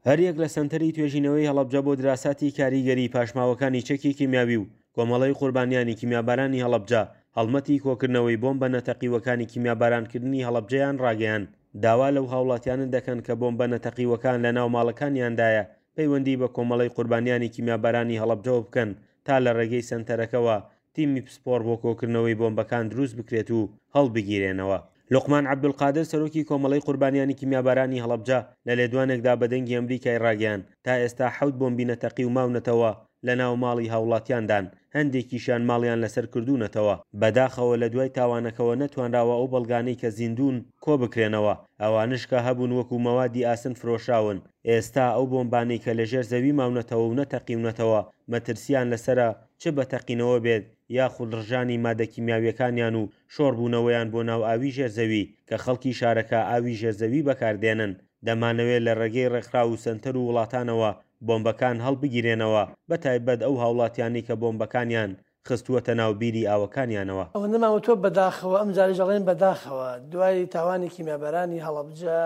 هەریەک لە سەنتەری توێژینەوەی هەڵەبجە بۆ دراساتی کاریگەری پاشماوەکانی چەکی کیمیاوی و کۆمەڵەی قوربانیانی کیمیابارانی هەڵەبجە هەڵمەتی کۆکردنەوەی بۆمبە نەتەقیوەکانی کیمیابارانکردنی هەڵەبجەیان ڕاگەیاند داوا لەو هاوڵاتیانە دەکەن کە بۆمبە نەتەقیوەکان لەناو ماڵەکانیاندایە پەیوەندی بە کۆمەڵەی قوربانیانی کیمیابارانی هەڵەبجەوە بکەن تا لە ڕێگەی سەنتەرەکەوە تیمی پسپۆڕ بۆ کۆکردنەوەی بۆمبەکان دروست بکرێت و هەڵبگیرێنەوە. لوقمان عەبدولقادر سەرۆکی کۆمەڵەی قوربانیانی کیمیابارانی هەڵەبجە لە لێدوانێکدا بە دەنگی ئەمریکای ڕاگەیاند تا ئێستا حەوت بۆمبی نەتەقیو ماونەتەوە لەناو ماڵی هاوڵاتیاندان، هەندێکیشیان ماڵیان لەسەر کردوونەتەوە، بەداخەوە لە دوای تاوانەکەوە نەتوانراوە ئەو بەڵگانەی کە زیندوون کۆبکرێنەوە، ئەوانەش کە هەبوون وەکو مەوادی ئاسن فرۆشراون، ئێستا ئەو بۆمبانەی کە لەژێر زەوی ماونەتەوە و نەتەقیونەتەوە مەترسییان لەسەرە چ بە تەقینەوە بێت یاخود ڕژانی مادە کیمیاویەکانیان و شۆڕبوونەوەیان بۆ ناو ئاوی ژێر زەوی کە خەڵکی شارەکە ئاوی ژێر زەوی بەکاردێنن دەمانەوێت لە ڕێگەی ڕێکخراو و سەنتەر و وڵاتانەوە بۆمبەکان هەڵبگیرێنەوە بەتایبەت ئەو هاوڵاتیانەی کە بۆمبەکانیان خستووەتە ناو بیری ئاوەکانیانەوە. ئەوەندەمان وتووە بەداخەوە، ئەمجارەیش ئەڵێین بەداخەوە دوای تاوانی کیمیابارانی هەڵەبجە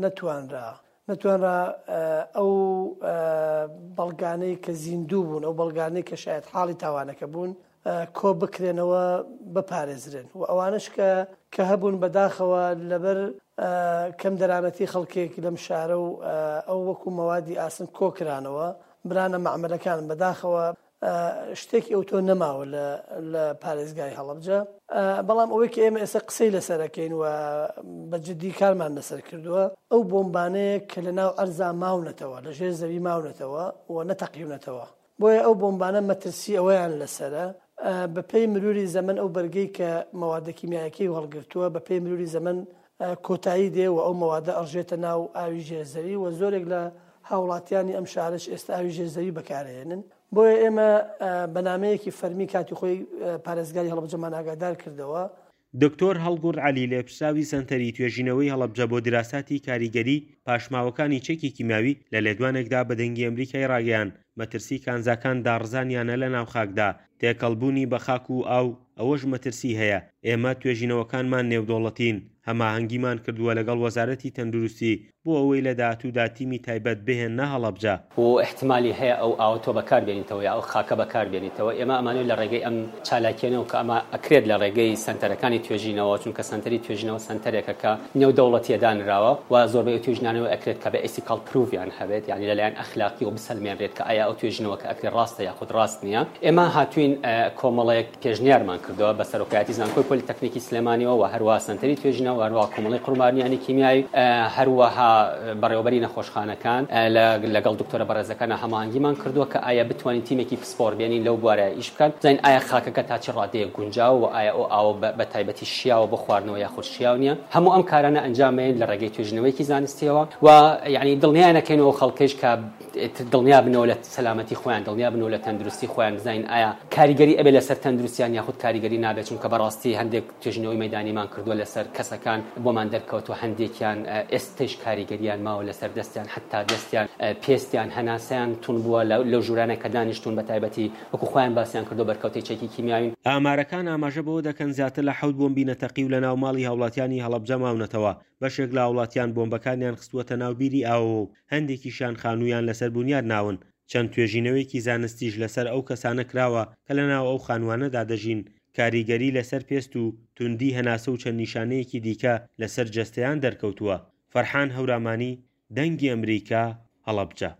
نەتوانرا نەتوانرا ئەو بەڵگانەی کە زیندوو بوون، ئەو بەڵگانەی کە شایەتحاڵی تاوانەکە بوون کۆ بکرێنەوە بپارێزرێن و ئەوانەش کە کە هەبوون بەداخەوە لەبەر کەم دەرامەتی خەڵکێک لەم شارە و ئەو وەکو مەوادی ئاسن کۆکرانەوە برانە مەعمەلەکان بەداخەوە شتێکی ئەوتۆ نەماوە لە لە پارێزگای هەڵەبجە بەڵام ئەوەی کە ئێمە ئێستا قسەی لەسەر ئەکەین و بە جدی کارمان لەسەر کردووە ئەو بۆمبانەیە کە لە ناو ئەرزا ماونەتەوە لە ژێر زەوی ماونەتەوە و نەتەقیونەتەوە بۆیە ئەو بۆمبانە مەترسی ئەوەیان لەسەرە بە پێی مروری زەمەن ئەو بەرگەی کە مەوادە کیمیایەکەی هەڵگرتووە بە پێی مروری زەمەن کۆتایی دێ و ئەو مەوادە ئەڕژێتە ناو ئاوی ژێر زەوی و زۆرێک لە هاوڵاتیانی ئەم شارەش ئێستا ئاوی ژێر زەوی بەکارئەهێنن. بۆیە ئێمە بە نامەیەکی فەرمی کاتی خۆی پارێزگاری هەڵەبجەمان ئاگادار کردەوە. دکتۆر هەڵگورد عەلی لێپرسراوی سەنتەری توێژینەوەی هەڵەبجە بۆ دیراساتی کاریگەری پاشماوەکانی چەکی کیمیاوی لە لێدوانێکدا بە دەنگی ئەمریکای ڕاگەیاند مەترسی کانزاکان داڕزانیانە لە ناو خاکدا تێکەڵبوونی بە خاک و ئاو ئەوەش مەترسی هەیە، ئێمە توێژینەوەکانمان نێودەوڵەتین، هەماهەنگیمان کردووە لەگەڵ وەزارەتی تەندروستی بۆ ئەوەی لە داهاتوودا تیمی تایبەت بهێننە هەڵەبجە. و ئیحتیمالی هەیە ئەو ئاوە تۆ بەکار بێنیتەوە یا ئەو خاکە بەکار بێنیتەوە، ئێمە ئەمانەوێت لە ڕێگەی ئەم چالاکییانەوە کە ئەمە ئەکرێت لە ڕێگەی سەنتەرەکانی توێژینەوە، چونکە سەنتەری توێژینەوە سەنتەرێکە کە نێودەوڵەتییە دانراوە و زۆربەی ئەو توێژینانەوە ئەکرێت کە بە ethical proof یان هەبێت، یانی لەلایەن ئەخلاقیەوە بسەلمێنرێت کە ئایا ئەو توێژینەوە کە ئەکرێت ڕاستە یاخود ڕاست نییە. ئێمە هاتووین کۆمەڵێک پێشنیارمان کردووە بە سەرۆکایەتی زانکۆی پۆلیتەکنیکی سلێمانیەوە و هەروەها سەنتەری توێژینەوە و هەروەها کۆمەڵەی قوربانیانی کیمیایی هەروەها بەڕێوەبەری نەخۆشخانەکان لەگەڵ دکتۆرە بەڕێزەکانا هەماهەنگیمان کردووە کە ئایا بتوانین تیمێکی پسپۆڕ بێنین لەو بوارە ئیش بکات بزانین ئایا خاکەکە تا چ ڕادەیەک گونجاوە و ئایا ئەو ئاوە بە تایبەتی شیاوە بۆ خواردنەوە یاخود شیاو نییە هەموو ئەم کارانە ئەنجام بەین لە ڕێگەی توێژینەوەیەکی زانستیەوە و یعنی دڵنیایان ئەکەینەوە خەڵکەیش کە دڵنیا بنەوە لە سەلامەتی خۆیان دڵنیا بنەوە لە تەندروستی خۆیان بزانین ئایا کاریگەری ئەبێ لەسەر تەندروستیان یاخود کاریگەری نابێت چونکە بەڕاستی هەندێک توێژینەوەی مەیدانیمان کردووە لەسەر کەسەکان بۆمان دەرکەوتووە هەندێکیان ئێستەیش کاریگەریان ماوە لەسەر دەستیان حەتا دەستیان پێستیان هەناسەیان تون بووە لەو ژوورانە کە دانیشتوون بە تایبەتی وەکو خۆیان باسیان کردووە بەرکەوتەی چەکی کیمیاوین. ئامارەکان ئاماژە بەوە دەکەن زیاتر لە حەوت بۆمبی نەتەقیو لەناو ماڵی هاوڵاتیانی هەڵەبجە ماونەتەوە، بەشێک لە هاوڵاتیان بۆمبەکانیان خستووەتە ناو بیری ئاوەوە و هەندێکیشیان خانوویان لەسەر بونیاد ناون، چەند توێژینەوەیەکی زانستیش لەسەر ئەو کەسانە کراوە کە لەناو ئەو خانووانەدا دەژین، کاریگەری لەسەر پێست و توندی هەناسە و چەند نیشانەیەکی دیکە لەسەر جەستەیان دەرکەوتووە. فەرحان هەورامانی، دەنگی ئەمریکا، هەڵەبجە.